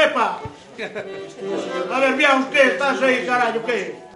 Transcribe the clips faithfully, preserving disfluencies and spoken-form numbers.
epa! A ver, Biaus, que estás aí, carallo, que?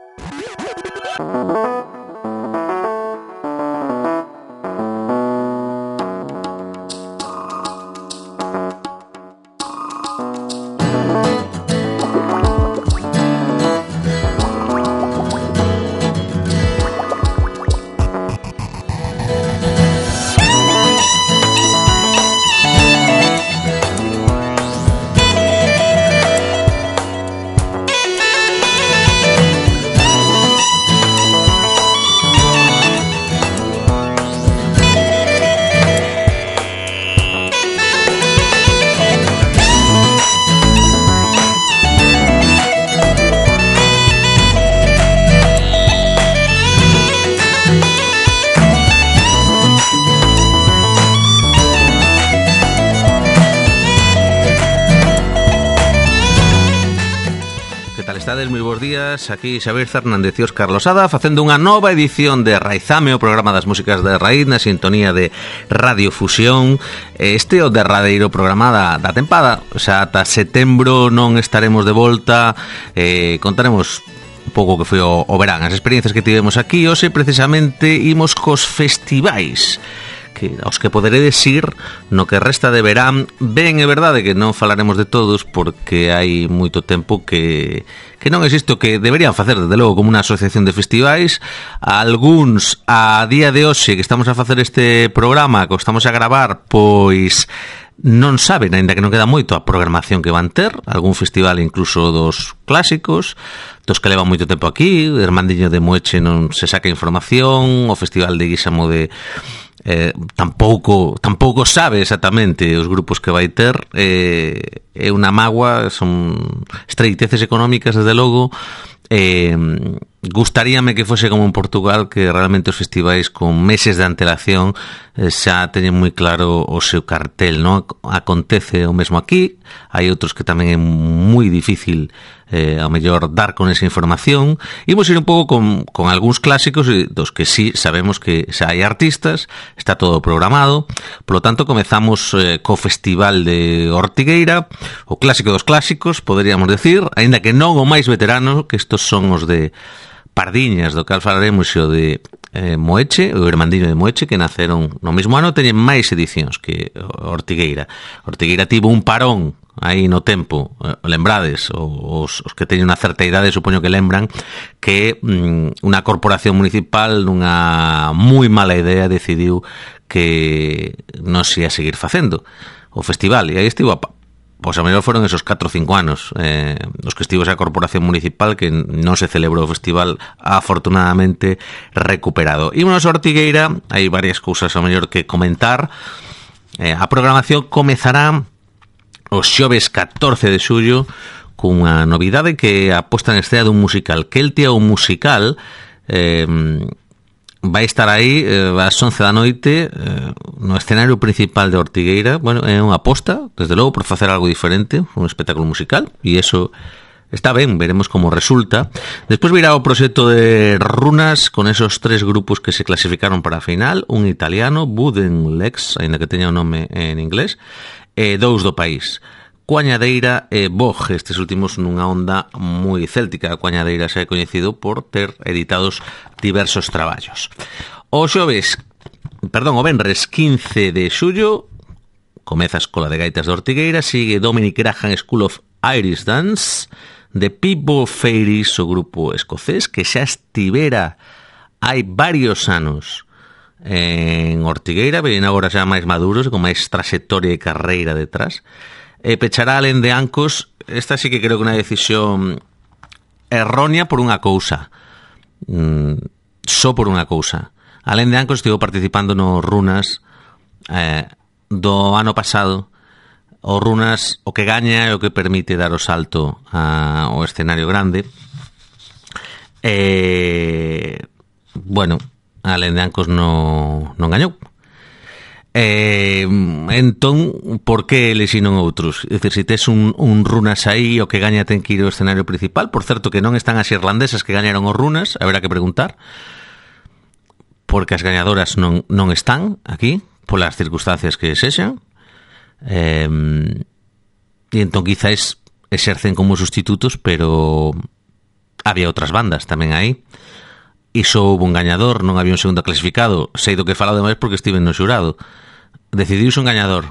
Moi bons días, aquí Xavier Fernández e Óscar Losada facendo unha nova edición de Raizame, o programa das músicas de raíz na sintonía de Radio Fusión. Este é o derradeiro programa da, da tempada, xa ata setembro non estaremos de volta, eh, contaremos un pouco que foi o, o verán, as experiencias que tivemos aquí. Hoxe precisamente imos cos festivais que aos que poderedes ir no que resta de verán. Ben, é verdade que non falaremos de todos porque hai moito tempo que que non existe o que deberían facer, desde logo, como unha asociación de festivais. Alguns, a día de hoxe que estamos a facer este programa, que estamos a gravar, pois non saben, aínda que non queda moito, a programación que van ter. Algún festival incluso dos clásicos, dos que levan moito tempo aquí. O Irmandiño de Moeche non se saca información, o Festival de Guísamo de Eh, tampouco tampouco sabe exactamente os grupos que vai ter. eh, é unha mágoa, son estreiteces económicas desde logo. eh, gustaríame que fose como en Portugal, que realmente os festivais con meses de antelación eh, xa teñen moi claro o seu cartel, non? Acontece o mesmo aquí, hai outros que tamén é moi difícil eh, ao mellor dar con esa información. Imos ir un pouco con, con algúns clásicos dos que sí sabemos que xa hai artistas, está todo programado. Por lo tanto, comezamos eh, co Festival de Ortigueira, o clásico dos clásicos, poderíamos decir, aínda que non o máis veterano, que estos son os de Pardiñas, do cal falaremos, o de eh, Moeche, o Irmandiño de Moeche, que naceron no mesmo ano, teñen máis edicións que Ortigueira. Ortigueira tivo un parón aí no tempo, lembrades, os, os que teñen unha certa idade supoño que lembran que mm, unha corporación municipal nunha moi mala idea decidiu que non se ia seguir facendo o festival, e aí estivo a pois a mellor foron esos catro ou cinco anos eh, os que estivo esa corporación municipal que non se celebrou o festival, afortunadamente recuperado. Ímonos a Ortigueira, hai varias cousas a mellor que comentar. eh, a programación comezará o xoves catorce de xullo cunha novidade que a posta en escena dun musical, que el tía un musical eh, vai estar aí eh, ás once da noite eh, no escenario principal de Ortigueira. Bueno, é unha aposta, desde logo, por facer algo diferente, un espectáculo musical, e eso está ben, veremos como resulta. Despois virá o proxecto de Runas con esos tres grupos que se clasificaron para a final, un italiano, Buden Lex, aínda que teña o nome en inglés, e dous do país, Coañadeira e Boj, estes últimos nunha onda moi céltica. Coañadeira xa é coñecido por ter editados diversos traballos. O xoves, perdón, o venres quince de xullo comeza a Escola de Gaitas de Ortigueira, sigue Dominic Graham School of Irish Dance, The People Fairies, o grupo escocés que xa estivera hai varios anos en Ortigueira, ven agora xa máis maduros, con máis trayectoria e carreira detrás. E pechará Alén de Ancos. Esta sí que creo que unha decisión errónea por unha cousa, mm, só por unha cousa. Alén de Ancos estivo participando no Runas eh, do ano pasado. O Runas o que gaña é o que permite dar o salto a, ao escenario grande. E, bueno, Alén de Ancos non, non gañou. Eh, entón, por que elixinon outros? É dicir, se tes un, un Runas aí, o que gaña ten que ir ao escenario principal. Por certo, que non están as irlandesas que gañaron os Runas, haberá que preguntar, porque as gañadoras non, non están aquí, polas circunstancias que sexan. Eh, e entón, quizás exercen como sustitutos, pero había outras bandas tamén aí. Iso houve un gañador, non había un segundo clasificado. Sei do que falo demais porque estive no xurado. Decidiuse un gañador.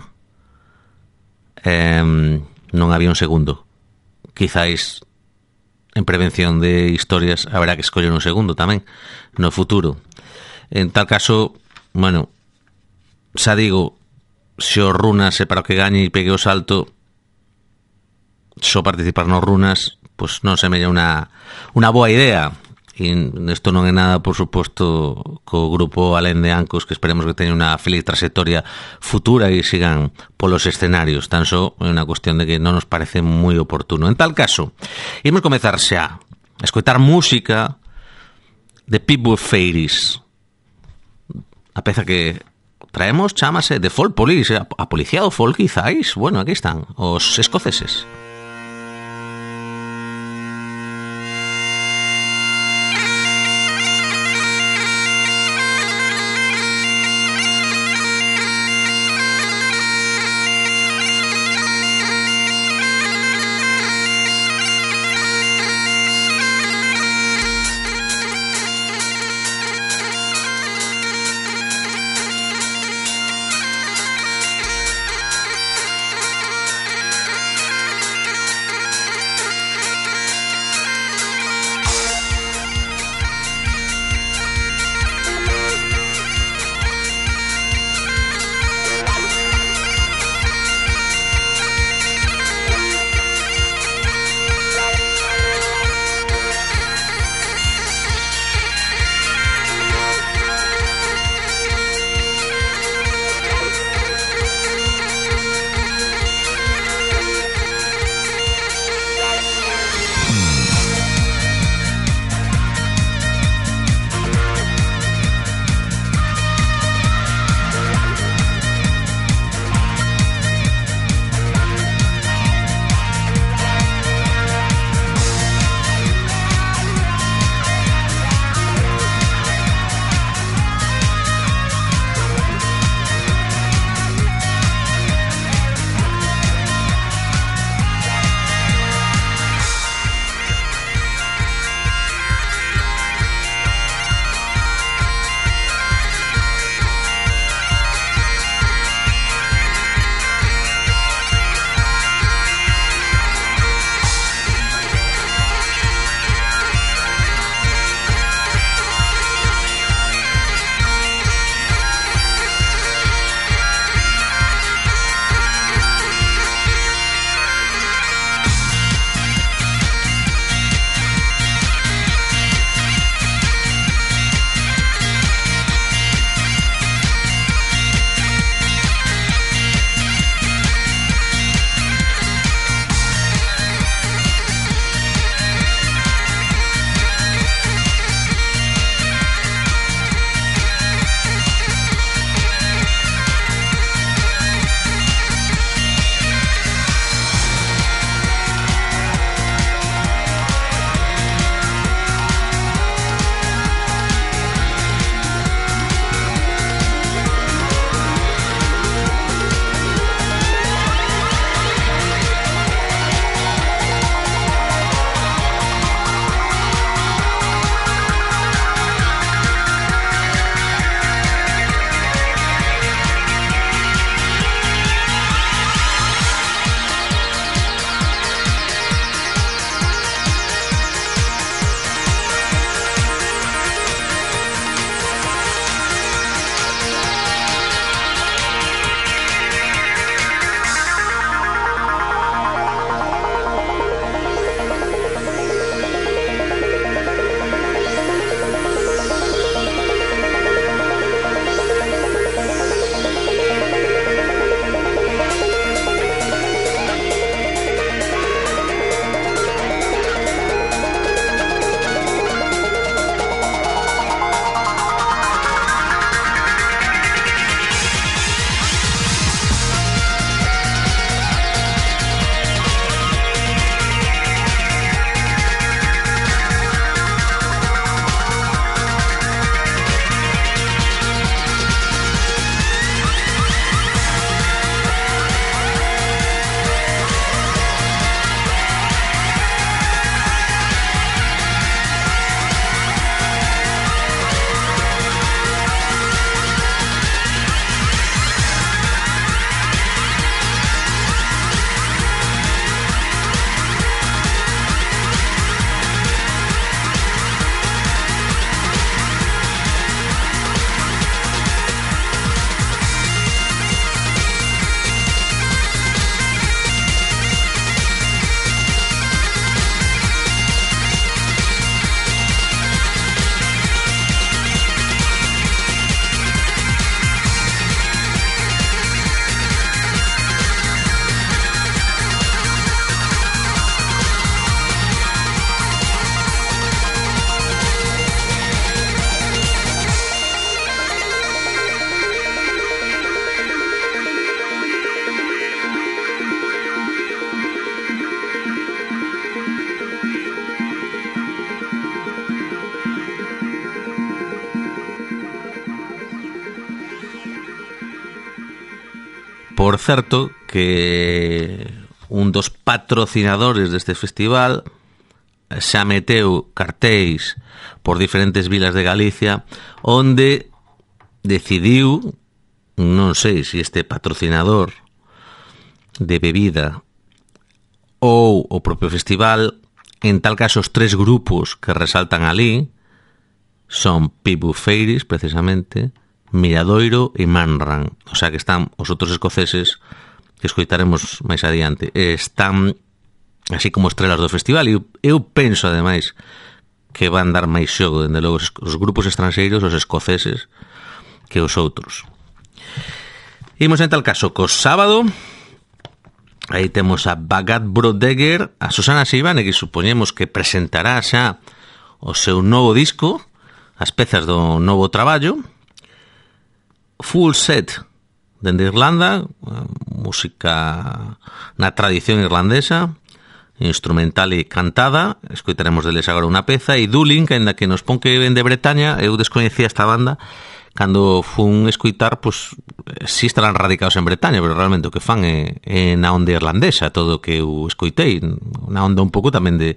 Eh, non había un segundo. Quizáis en prevención de historias haberá que escoller un segundo tamén no futuro. En tal caso, bueno, xa digo, se o Runas é para o que gañe e pegue o salto, só participar nos Runas, pois non se mella unha, unha boa idea. E isto non é nada, por suposto, co grupo Alén de Ancos, que esperemos que teña unha feliz trayectoria futura e sigan polos escenarios. Tan só é unha cuestión de que non nos parece moi oportuno. En tal caso, imos comezar xa a escoitar música de Pitbull Fairies. A peza que traemos chámase The Folk Police, a policía do folk, quizáis. Bueno, aquí están os escoceses. por certo, que un dos patrocinadores deste festival xa meteu cartéis por diferentes vilas de Galicia onde decidiu, non sei se este patrocinador de bebida ou o propio festival, en tal caso os tres grupos que resaltan ali son Pibufeiris, precisamente, Miradoiro e Manran. O sea que están os outros escoceses que escoitaremos máis adiante, están así como estrelas do festival, e eu, eu penso ademais que van dar máis xogo, dende logo, os, os grupos estranxeiros, os escoceses, que os outros. Imos en tal caso co sábado. Aí temos a Bagat Brodegger, a Susana Seivane, que supoñemos que presentará xa o seu novo disco, as pezas do novo traballo. Full Set, dende Irlanda, música na tradición irlandesa, instrumental e cantada. Escoitaremos deles agora unha peza. E Dulin, que ainda que nos pon que ven de Bretaña, eu descoñecía esta banda. Cando fun escoitar, pois, si estarán radicados en Bretaña, pero realmente o que fan é, é na onda irlandesa, todo o que eu escoitei, na onda un pouco tamén de,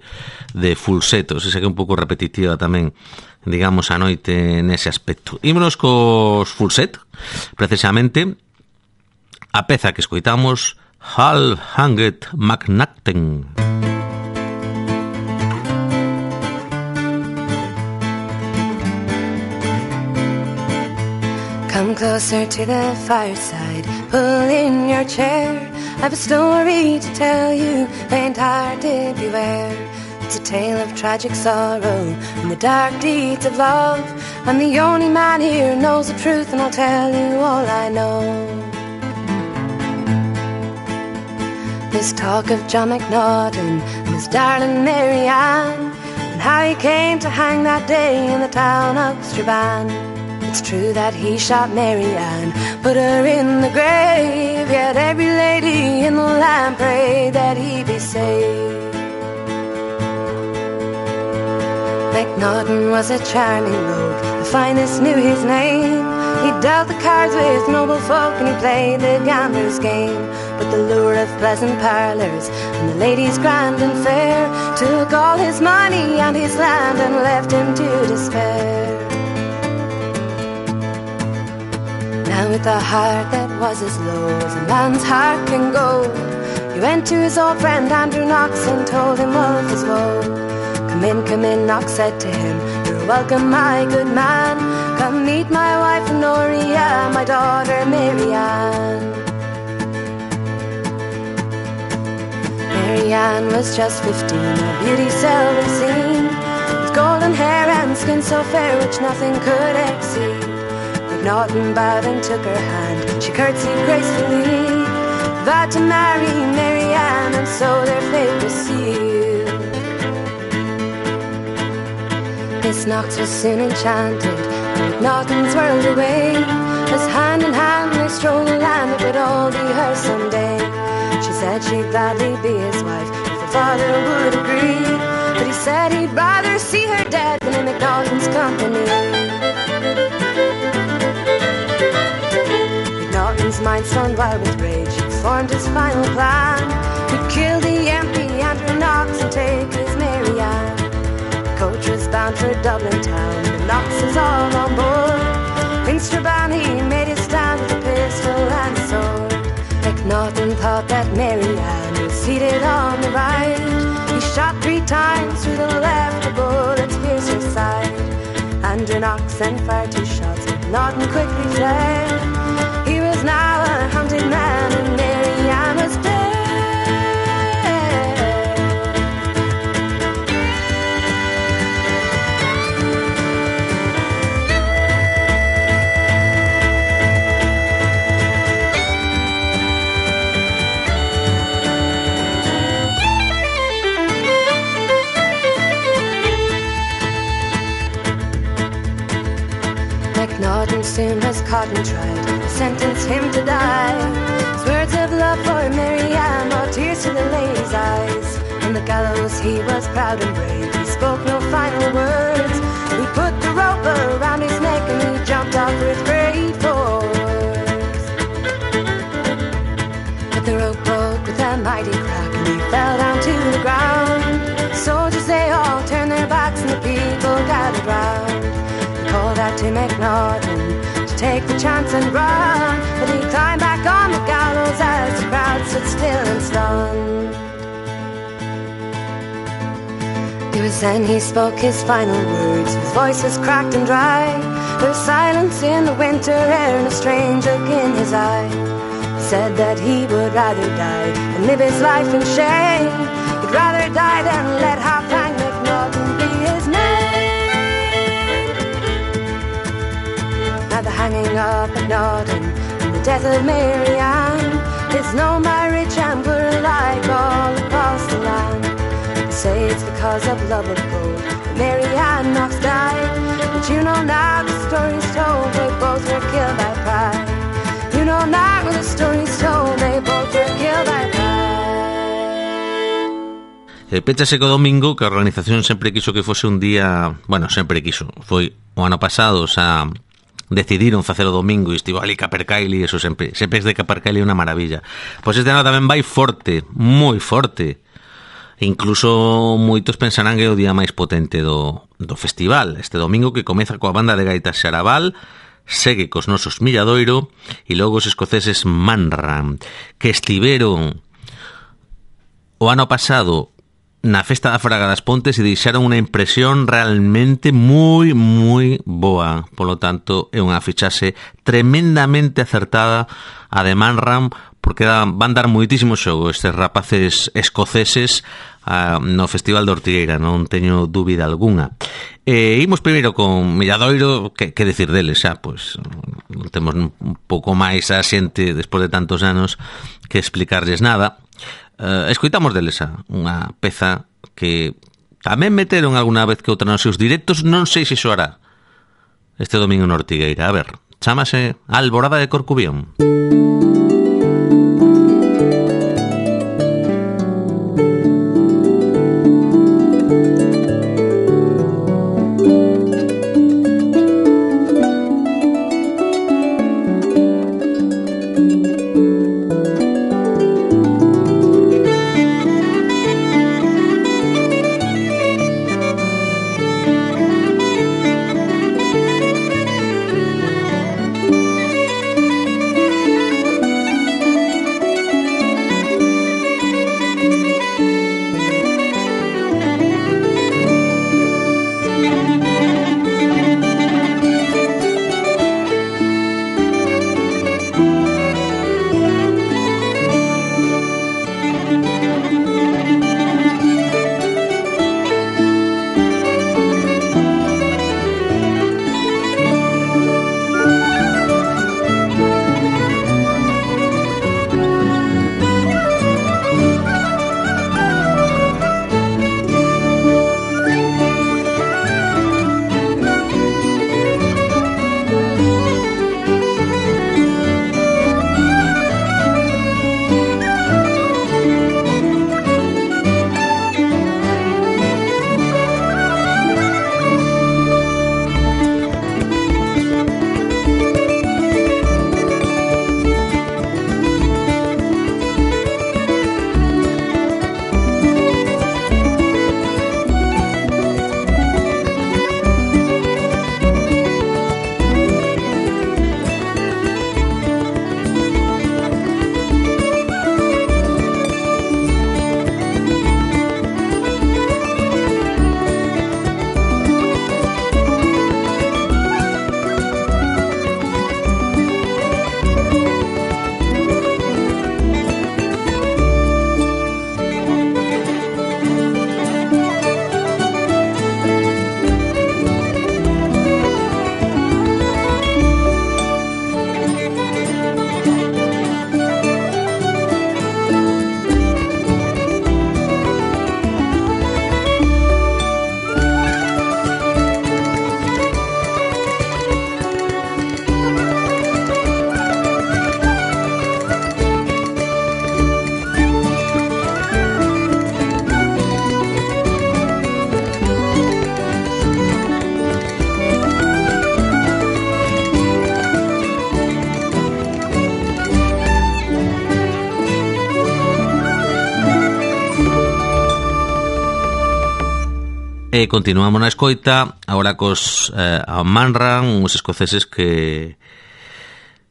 de Fulseto, se que é un pouco repetitiva tamén, digamos, a noite nese aspecto. Ímonos cos Fulset, precisamente, a peza que escoitamos, Half Hanged McNacten. Come closer to the fireside, pull in your chair. I've a story to tell you, faint-hearted beware. It's a tale of tragic sorrow and the dark deeds of love. I'm the only man here who knows the truth, and I'll tell you all I know. There's talk of John McNaughton and his darling Mary Ann, and how he came to hang that day in the town of Strabane. It's true that he shot Mary Ann, put her in the grave, yet every lady in the land prayed that he be saved. McNaughton was a charming rogue, the finest knew his name. He dealt the cards with noble folk and he played the gambler's game. But the lure of pleasant parlours and the ladies grand and fair took all his money and his land and left him to despair. Now with a heart that was as low as a man's heart can go, he went to his old friend Andrew Knox and told him of his woe. Come in, come in, Knox said to him, you're welcome, my good man. Come meet my wife Honoria, my daughter Mary Ann. Mary Ann was just fifteen, a beauty seldom seen, with golden hair and skin so fair which nothing could exceed. McNaughton bowed and took her hand, she curtsied gracefully, vowed to marry Mary Ann, and so their fate was sealed. Miss Knox was soon enchanted, and McNaughton's whirled away, as hand in hand they strolled the land that would all be hers someday. She said she'd gladly be his wife if her father would agree, but he said he'd rather see her dead than in McNaughton's company. McNaughton's mind stormed wild with rage, he formed his final plan. He'd kill the M P Andrew Knox and take his Mary Ann. The coach was bound for Dublin town, the Knoxes all on board. In Strabane he made his stand with a pistol and a sword. McNaughton thought that Mary Ann was seated on the right. He shot three times through the left, the bullets pierced her side. Andrew Knox sent fire two shots, McNaughton quickly fled. He was now a hunted man and Mary Ann was dead. McNaughton soon was caught and tried, sentenced him to die. His words of love for Mary Ann brought tears to the lady's eyes. On the gallows he was proud and brave, he spoke no final words. He put the rope around his neck and he jumped off with great force. fell down to the ground. Soldiers, they all turned their backs and the people gathered round. They called out to McNaughton to take the chance and run, but he climbed back on the gallows as the crowd stood still and stunned. It was then he spoke his final words. His voice was cracked and dry. There was silence in the winter air and a strange look in his eye. He said that he would rather die than live his life in shame. He'd rather die than let Halfhang McNaughton be his name. Now the hanging of McNaughton and the death of Mary Ann is known by rich and poor alike all across the land. Say it's because of love of gold that Mary Ann Knox died. But you know now the story's told, they both were killed by pride. You know now the story's told, they both were killed by pride. E péchase co domingo, que a organización sempre quiso que fose un día, bueno, sempre quiso, foi o ano pasado, xa decidiron facer o domingo e estivo ali Capercaillie, eso sempre, sempre es de Capercaillie unha maravilla. Pois este ano tamén vai forte, moi forte. Incluso moitos pensarán que é o día máis potente do, do festival. Este domingo que comeza coa banda de gaitas Xaraval, segue cos nosos Milladoiro e logo os escoceses Manram, que estiveron o ano pasado na Festa da Fraga das Pontes e deixaron unha impresión realmente moi, moi boa. Polo tanto, é unha fichaxe tremendamente acertada a de Manram, porque van dar moitísimo xogo estes rapaces escoceses uh, no Festival de Ortigueira, non teño dúbida algunha. E imos primeiro con Milladoiro, que, que decir deles xa, pois non temos un pouco máis a xente despois de tantos anos que explicarles nada. Uh, escoitamos deles xa unha peza que tamén meteron alguna vez que outra nos seus directos, non sei se xoará este domingo en Ortigueira. A ver, chámase Alborada de Corcubión. E continuamos na escoita, agora cos eh, a Manran, uns escoceses que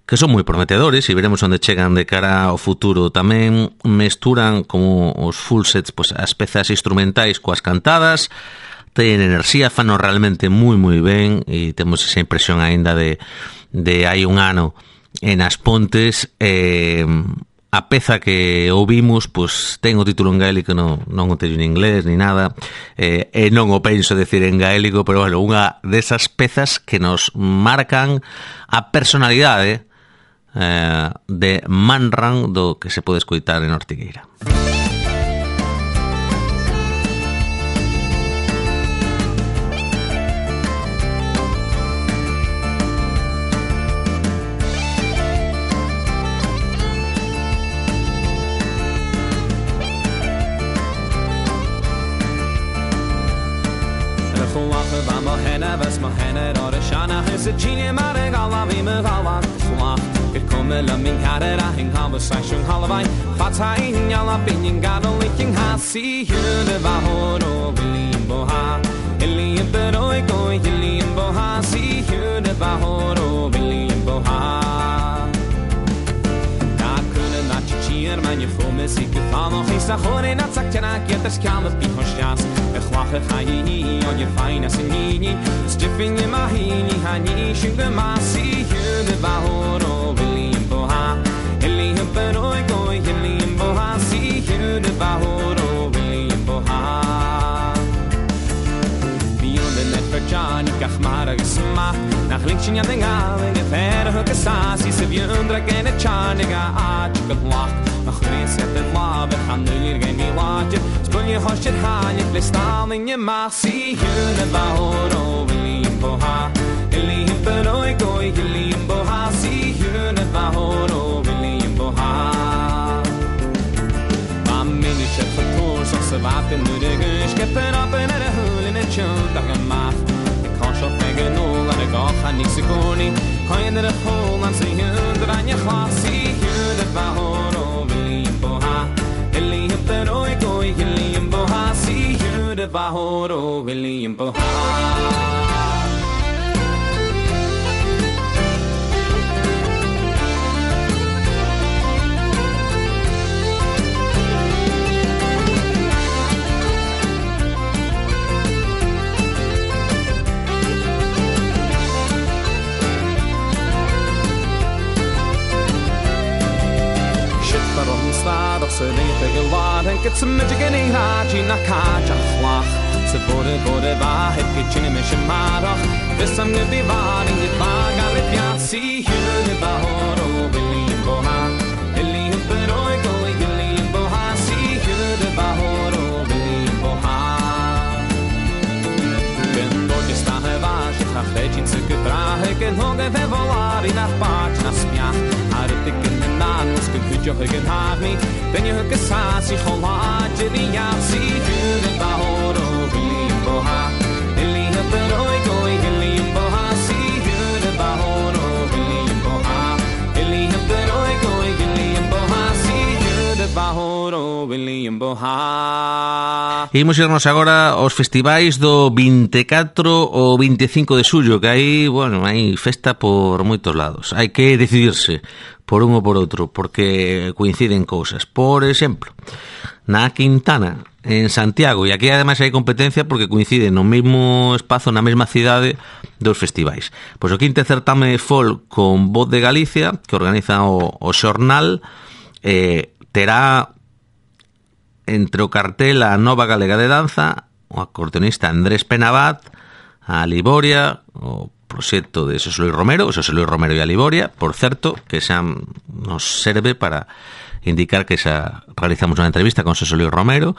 que son moi prometedores e veremos onde chegan de cara ao futuro. Tamén mesturan como os full sets, pues, as pezas instrumentais coas cantadas, ten enerxía, fano realmente moi moi ben e temos esa impresión aínda de, de hai un ano en As Pontes. eh, a peza que ouvimos pues, ten o título en gaélico, non, non o teño en inglés ni nada, eh, e non o penso decir en gaélico, pero bueno, unha desas pezas que nos marcan a personalidade eh, de Manran, do que se pode escoitar en Ortigueira. Vas ma henner or shana is a genie mare gala vi me gala sla it come la min kare ra hin conversation hallvai fata in yala bin gala licking ha see you the bahoro bilimbo ha eli pero go bilimbo ha see you the bahoro bilimbo ha da kunne na chier man je voor me zieke van nog eens da hore na zakena get das kann es bi hoschas ich wache haini on je feine sinini stiffing in my hini hani shinge ma see you the bahoro bilimbo ha eli pero go bilimbo ha see you the bahoro bilimbo ha beyond the net for Johnny kachmara gesma nach linkshin ja den galen gefer hoke sasi se viundra gene chaniga a chikalach nach reset the love han nulir gen mi watch spul je hoshit han je blistal in je mag see you the bahoro bilimbo ha eli pero go bilimbo ha see you the bahoro bilimbo ha mam mini chef for so se vaten nu de gus kepen up in a hole in a chunk da gemach kan so fegen no la de gach han ni segoni kan in the hole and see you the an je glas see you the bahoro bilimbo ha eli pero go bilimbo ha see you the bahoro bilimbo ha doch se lete gelad en get some magic in haji na kaja khwach se bode bode va het kitchen me shmarach this am ne bivar in it bagal pia see you the bahoro bilimbo ha eli pero go bilimbo ha see you the bahoro bilimbo ha ben do che sta va che ha fecin se che brahe che non deve volare in apart na spia har det ken nan ska could you can have me then you hook a sassy hola to the yasi to the bahoro bilimbo ha eli pero go bilimbo ha see you the bahoro bilimbo ha eli pero go bilimbo ha see you the bahoro bilimbo ha. Imos irnos agora aos festivais do vinte e catro ou vinte e cinco de xullo, que aí, bueno, hai festa por moitos lados. Hai que decidirse por un ou por outro, porque coinciden cousas. Por exemplo, na Quintana, en Santiago, e aquí ademais hai competencia porque coinciden no mesmo espazo, na mesma cidade dos festivais. Pois o quinto certame folk con Voz de Galicia, que organiza o, o xornal, eh, terá entre o cartel a Nova Galega de Danza, o acordeonista Andrés Penabat, a Liboria, o proxecto de Xosé Luis Romero, Xosé Luis Romero e a Liboria, por certo, que xa nos serve para indicar que xa realizamos unha entrevista con Xosé Luis Romero,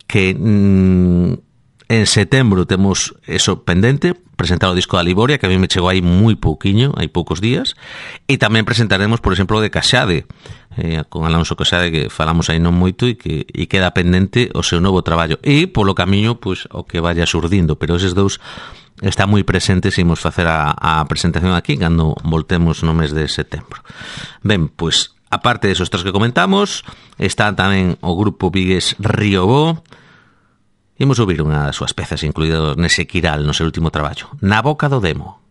que mmm, en setembro temos eso pendente, presentar o disco da Liboria, que a mí me chegou aí moi pouquiño, hai poucos días, e tamén presentaremos, por exemplo, o de Caxade, eh, con Alonso Caxade, que falamos aí non moito, e que e queda pendente o seu novo traballo. E, polo camiño, pois, o que vaya surdindo, pero eses dous está moi presentes e imos facer a, a presentación aquí cando voltemos no mes de setembro. Ben, pois, aparte desos tres que comentamos, está tamén o grupo vigués Riobó, Imos ouvir unha das súas pezas incluídas nese Quiral, no seu último traballo, Na boca do demo.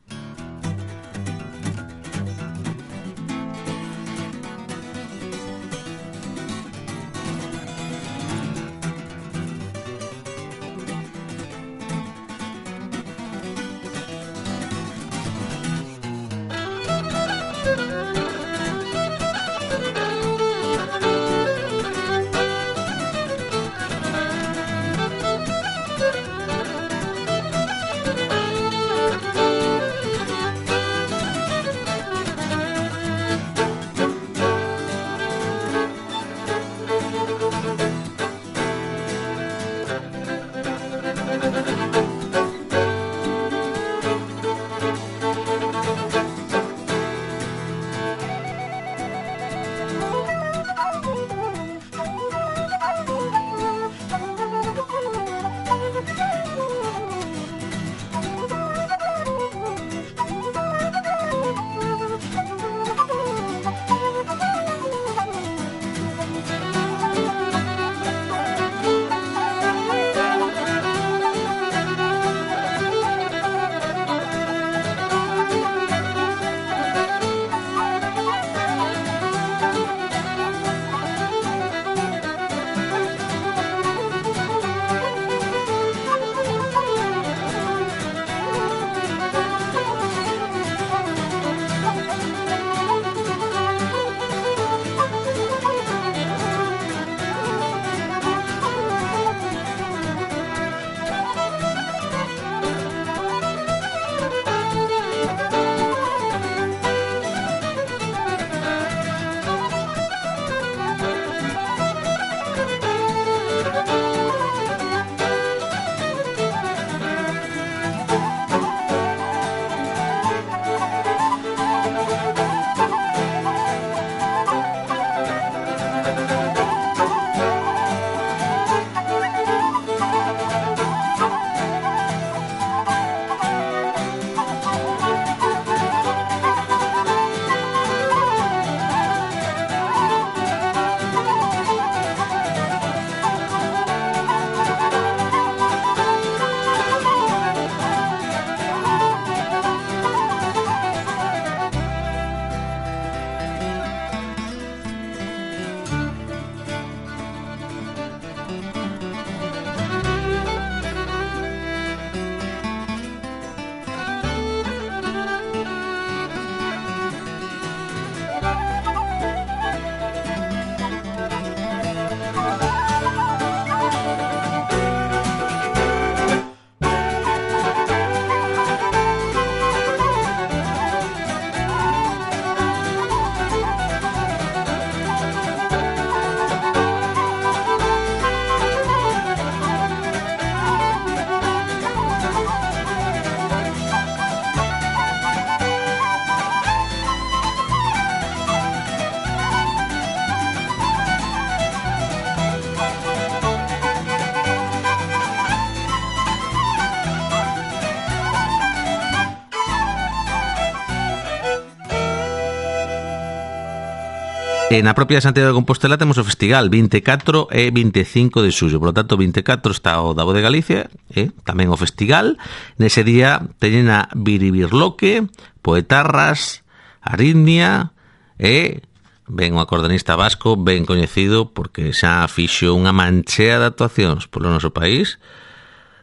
E na propia Santiago de Compostela temos o festival vinte e catro e vinte e cinco de xullo. Por lo tanto, vinte e catro está o da Voz de Galicia, e tamén o festival. Nese día teñen a Biribirloque, Poetarras, Arritmia e ben o acordeonista vasco ben coñecido porque xa fixo unha manchea de actuacións polo noso país,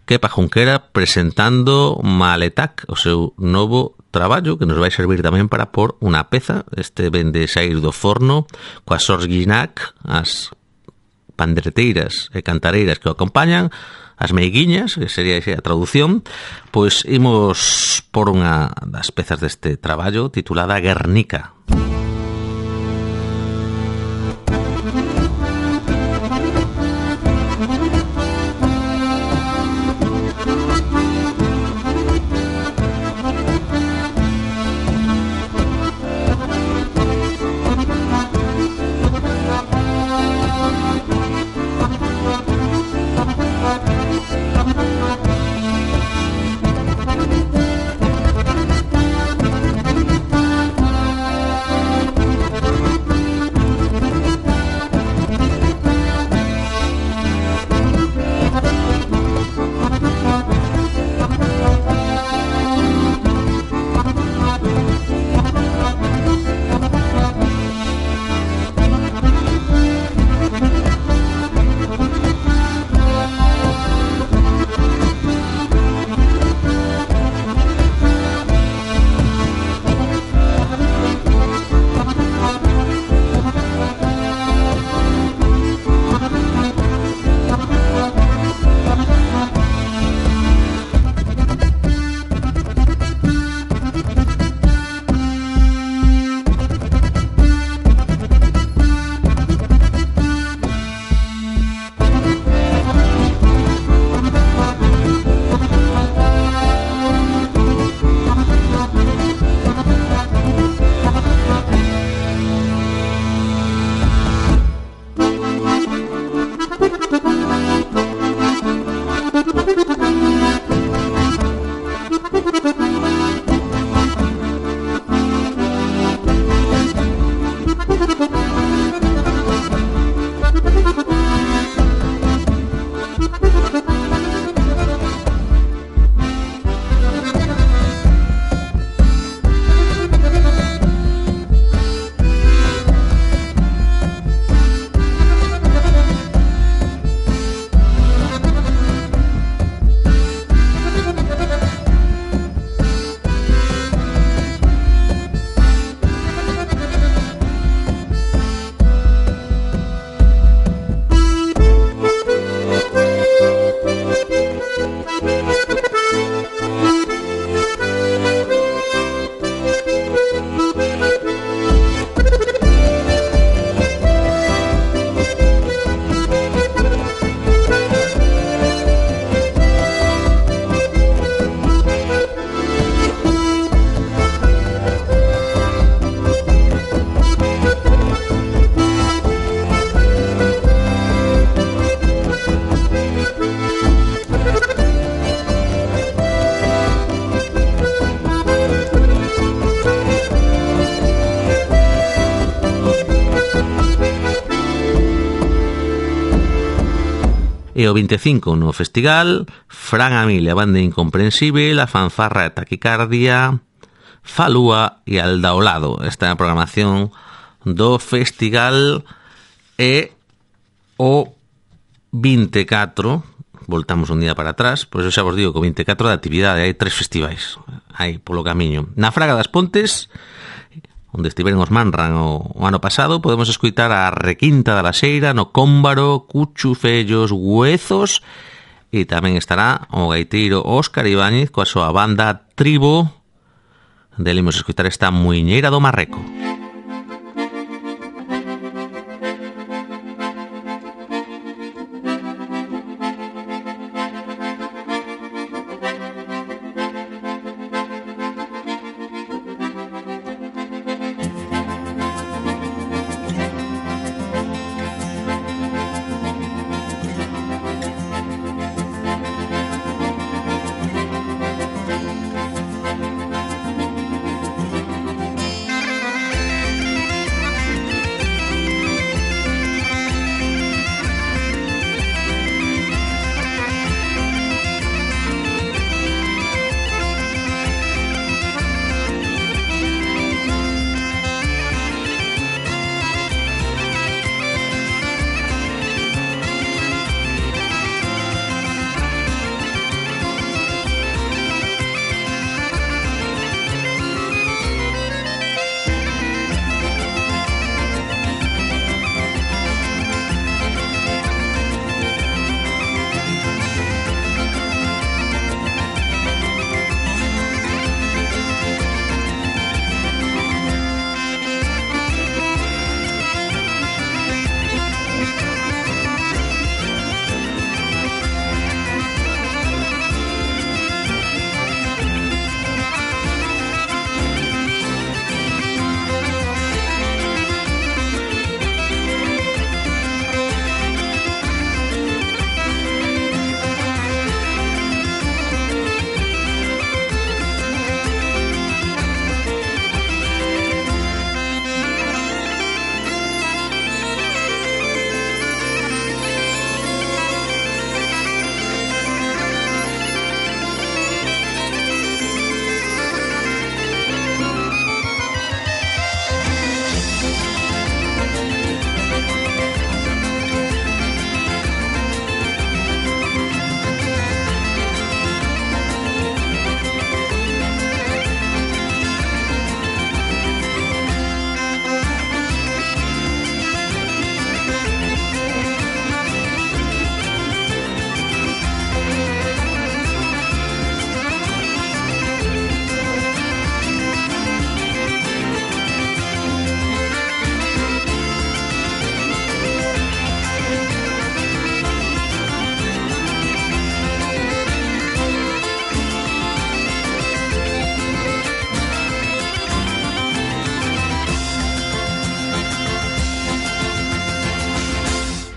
Kepa Junquera, presentando Maletac, o seu novo traballo, que nos vai servir tamén para pôr unha peza. Este ven de sair do forno, coas Sorginac, as pandereteiras e cantareiras que o acompañan, as meiguiñas, que sería a traducción. Pois imos por unha das pezas deste traballo titulada Guernica. E o vinte e cinco no festival, Fran Amilia, Banda Incomprensible, a Fanfarra de Taquicardia, Falúa e Aldaolado. Esta é a programación do festival. E o vinte e catro, voltamos un día para atrás, pois eu xa vos digo que o vinte e catro de actividade, hai tres festivais aí polo camiño. Na Fraga das Pontes, onde estiveron os Manran o, o ano pasado, podemos escutar a Requinta da Laxeira, no Cómbaro, Cuchufellos, Huezos, e tamén estará o gaiteiro Óscar Ibáñez coa súa banda Tribo. Dele imos escutar esta Muiñeira do Marreco.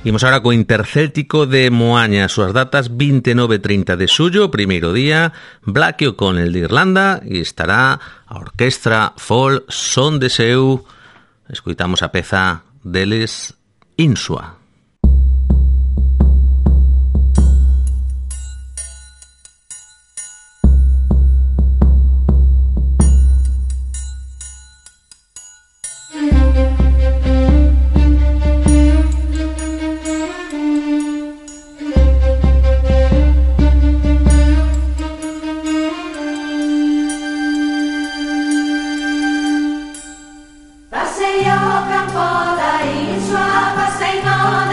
Imos agora co Intercéltico de Moaña, as súas datas vinte e nove e trinta de xullo, primeiro día, Blackie O'Connell de Irlanda, e estará a orquestra Folk Son de Seu. Escoitamos a peza deles, Insua. Passei ao campo da Insua, passei no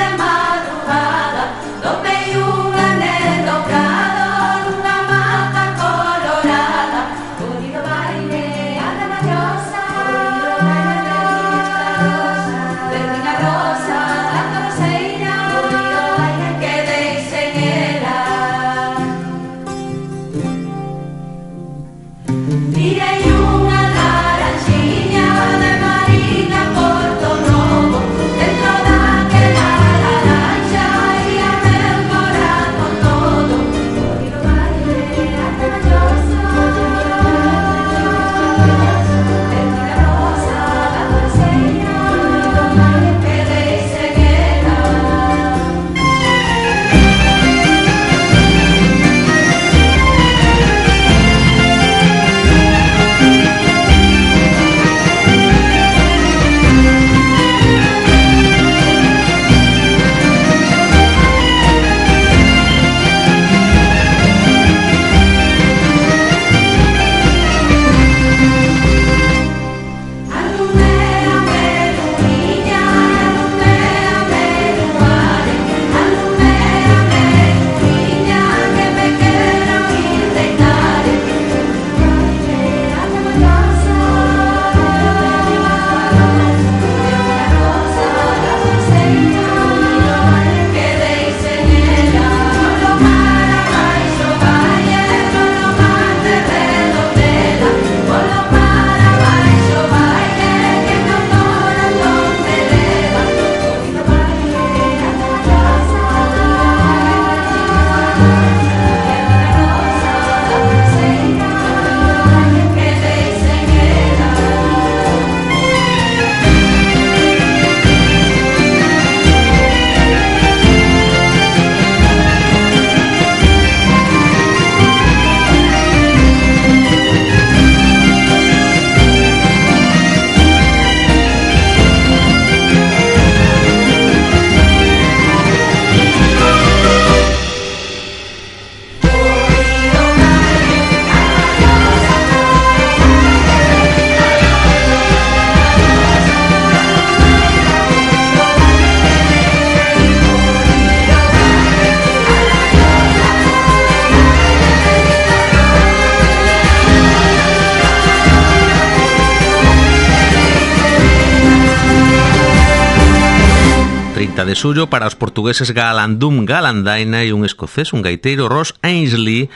trinta de xullo para os portugueses Galandum Galandaina e un escocés, un gaiteiro, Ross Ainsley,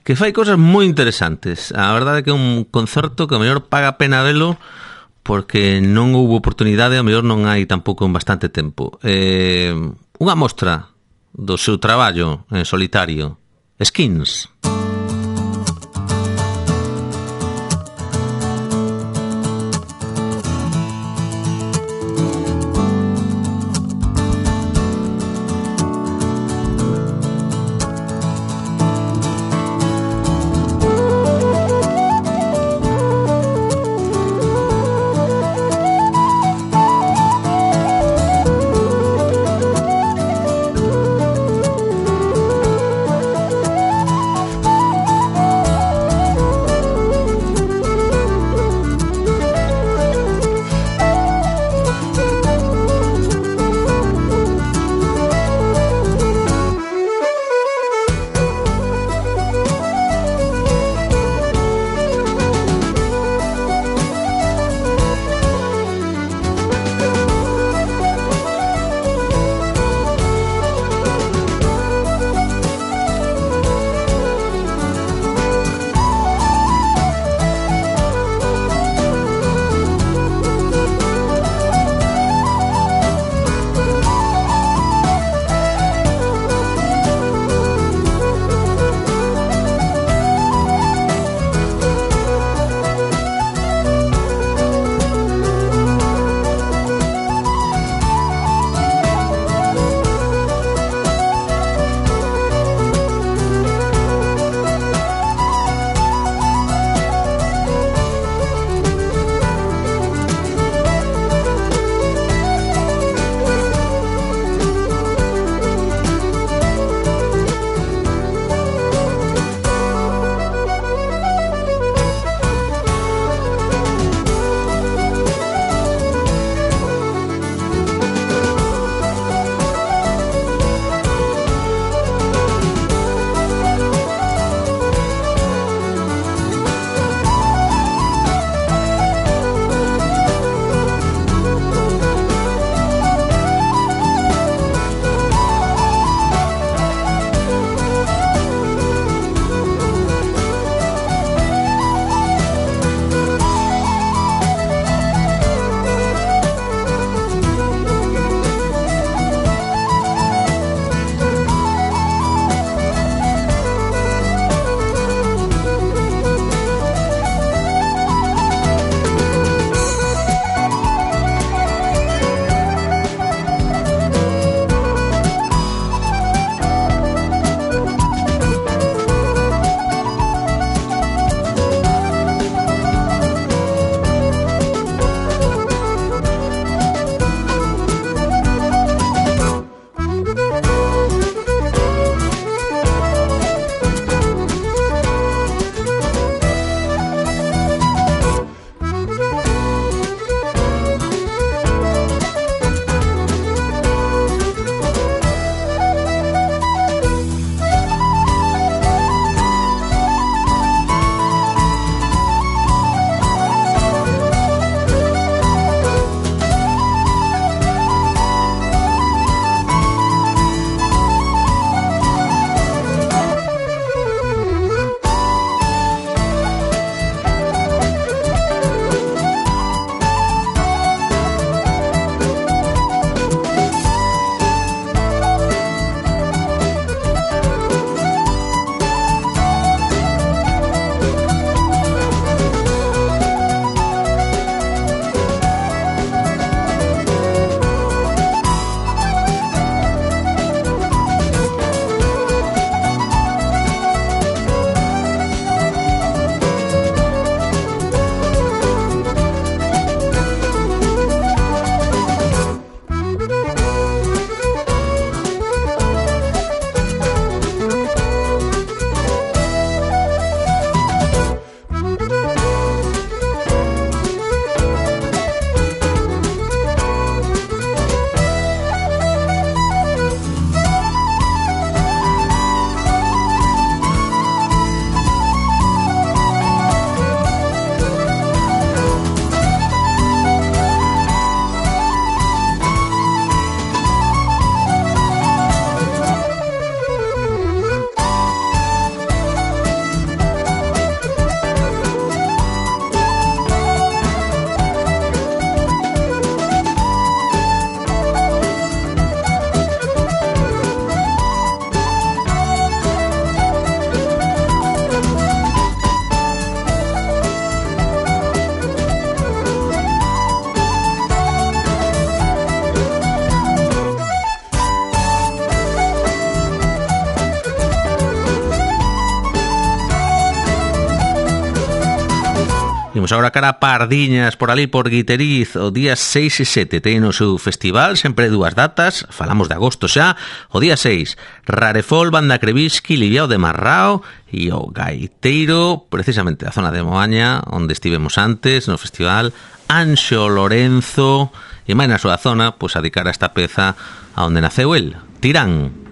que fai cosas moi interesantes. A verdade é que é un concerto que a mellor paga a pena velo porque non houve oportunidade, a mellor non hai tampouco en bastante tempo. Eh, unha mostra do seu traballo en solitario, Skins. Imos agora cara a Pardiñas, por ali por Guiteriz, o día seis e sete ten o seu festival, sempre dúas datas, falamos de agosto xa. O día seis, Rarefol, Banda Krevisky, Liviao de Marrao e o gaiteiro, precisamente da zona de Moaña, onde estivemos antes no festival, Anxo Lorenzo, e máis na súa zona, pois a dedicar a esta peza a onde naceu el, Tirán.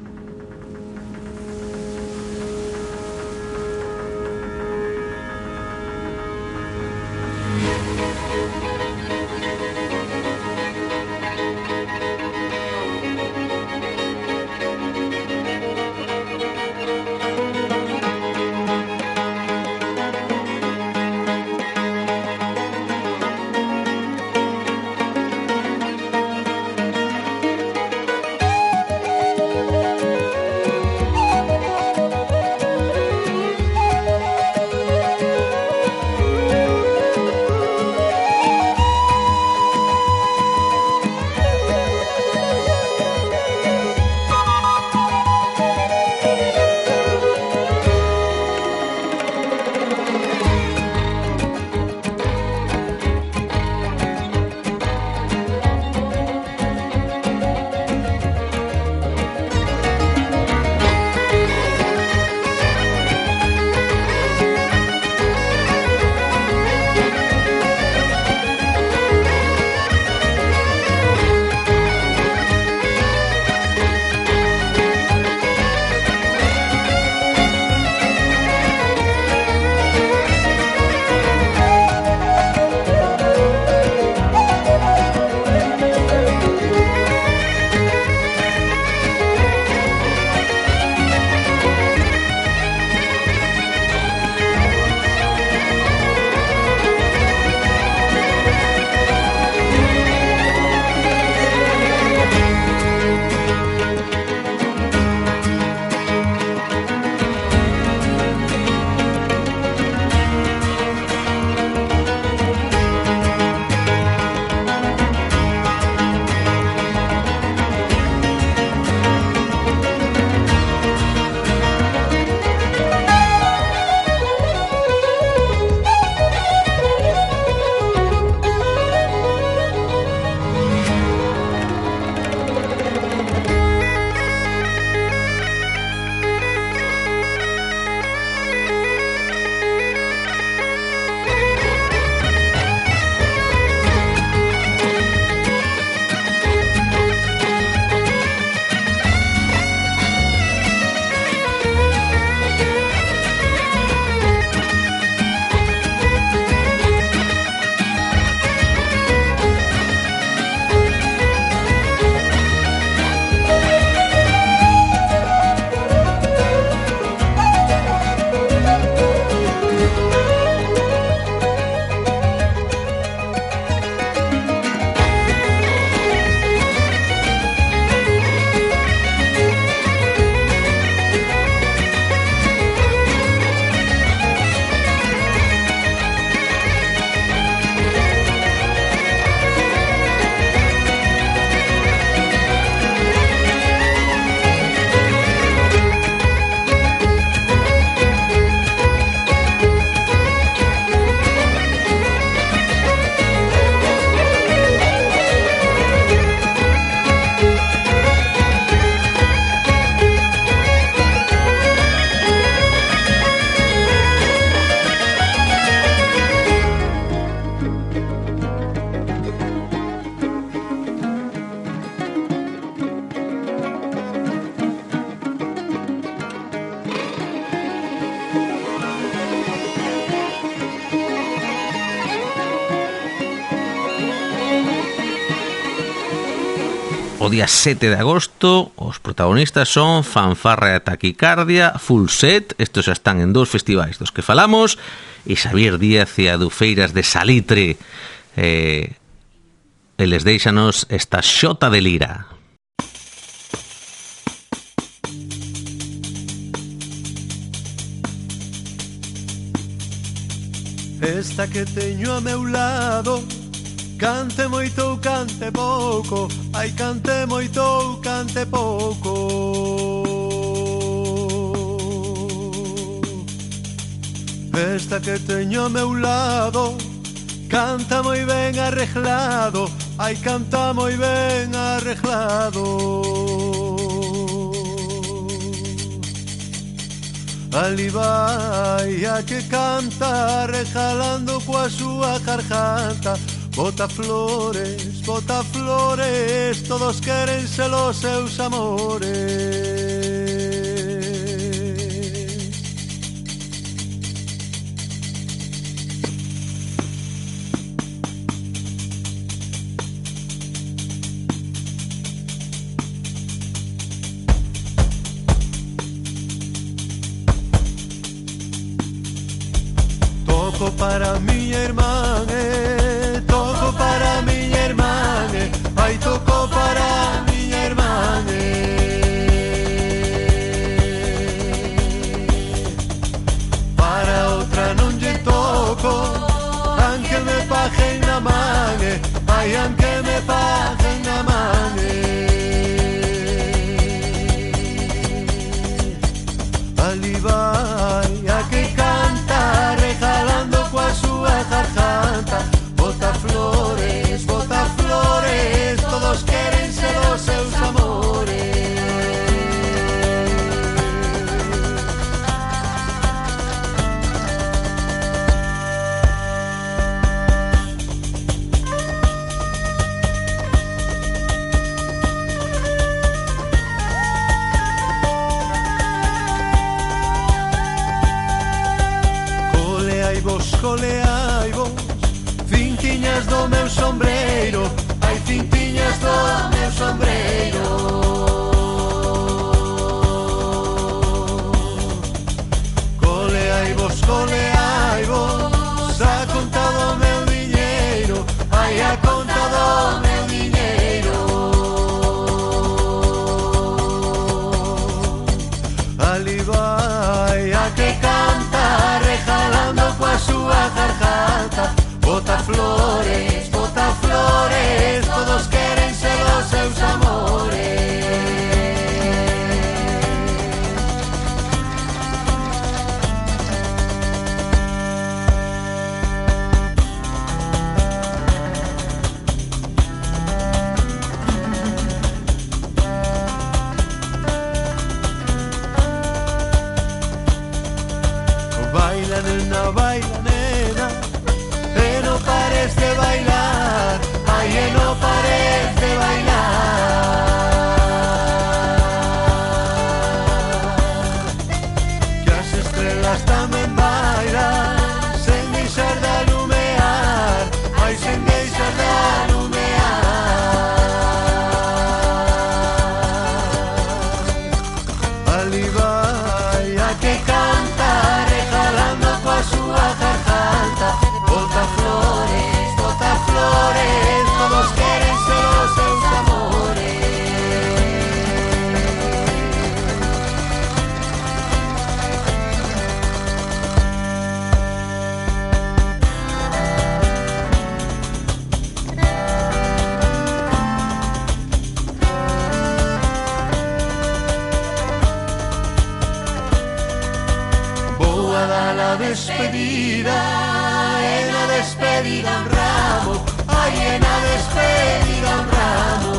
O día sete de agosto os protagonistas son Fanfarra e Taquicardia, Full Set, estos xa están en dous festivais dos que falamos, e Xavier Díaz e Adufeiras de Salitre. Eh, eles deixanos esta xota de lira. Esta que teño a meu lado, cante moito ou cante pouco, ai cante moito ou cante pouco. Esta que teño a meu lado, canta moi ben arreglado, ai canta moi ben arreglado. Ali vai a que canta rejalando coa súa garganta. Bota flores, bota flores, todos queren ser os seus amores. Toco para miña irmán, eh, toco para miña irmán, eh, ai toco para miña irmán, eh. Para outra non lle toco, aunque me paguen na man, eh, ai aunque me paguen na man, eh. Ali vai a que canta regalando coa súa garganta. Bota flores, bota flores, todos queren ser os seus amores. Coleai vos, cintiñas do meu sombreiro, hai cintiñas do meu sombreiro. Coleai vos, coleai vos, a conta do meu diñeiro, hai a conta do meu diñeiro. Ali vai a que canta regalando coa súa garganta. Bota flores, bota flores, todos queren ser os seus amores. Baila nena, baila nena, e no pares de bailar, ay, e no pares de bailar. Que as estrelas tamén bailan, sen deixar de alumear, ay, sen deixar de alumear. Ali vai a que canta regalando coa súa garganta. Bota flores, bota flores, todos queren ser os seus amores. Vou a dar a despedida, e na despedida un ramo, ai, e na despedida un ramo.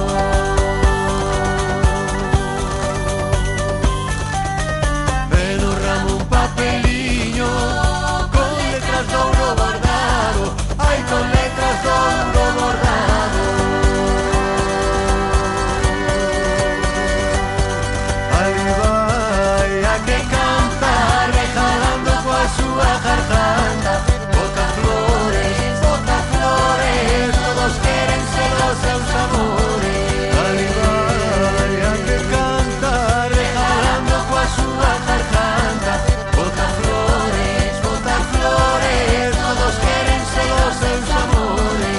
E no ramo un papeliño con letras de ouro bordado, ai, con letras de ouro bordado. Ali vai a que canta regalando coa súa garganta. Bota flores, bota flores, todos queren ser os seus amores. Ali vai a que canta regalando coa súa garganta. Bota flores, bota flores, todos queren ser os seus amores.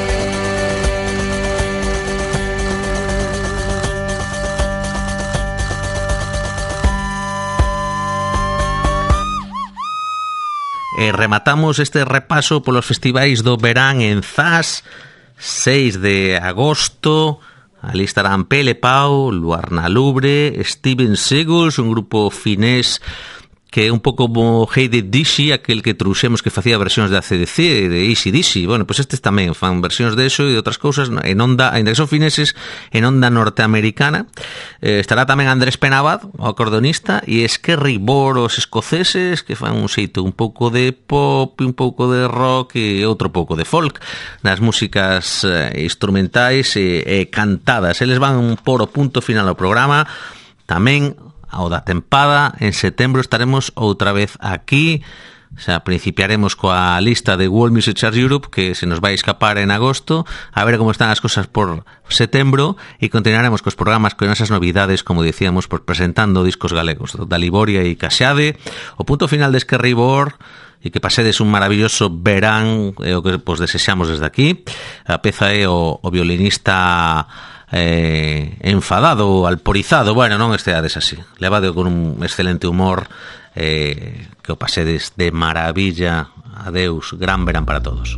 E rematamos este repaso polos festivais do verán en Zas, seis de agosto. Ali estarán Pele Pau, Luar na Lubre, Steven Seagulls, un grupo finés que é un pouco como Hey de Dizzy, aquel que trouxemos que facía versións de A C D C, de Easy Dizzy. Bueno, pois pues estes tamén fan versións de eso e de outras cousas en onda, ainda que son fineses, en onda norteamericana. Eh, estará tamén Andrés Penabad, o acordeonista, e Skerry Bor, os escoceses, que fan un xeito un pouco de pop, un pouco de rock e outro pouco de folk nas músicas eh, instrumentais e, e cantadas. Eles van por o punto final ao programa. Tamén ao da tempada, en setembro estaremos outra vez aquí, xa principiaremos coa lista de World Music Charts Europe, que se nos vai escapar en agosto, a ver como están as cosas por setembro, e continuaremos cos programas con esas novidades, como dicíamos, por presentando discos galegos, da Liboria e Caseade, o punto final de Skerry Bor, e que pasedes un maravilloso verán, é o que vos desexamos desde aquí. A peza é o, o violinista eh, enfadado, alporizado, bueno, non esteades así, levado con un excelente humor, eh, que o pasedes de maravilla. Adeus, gran verán para todos.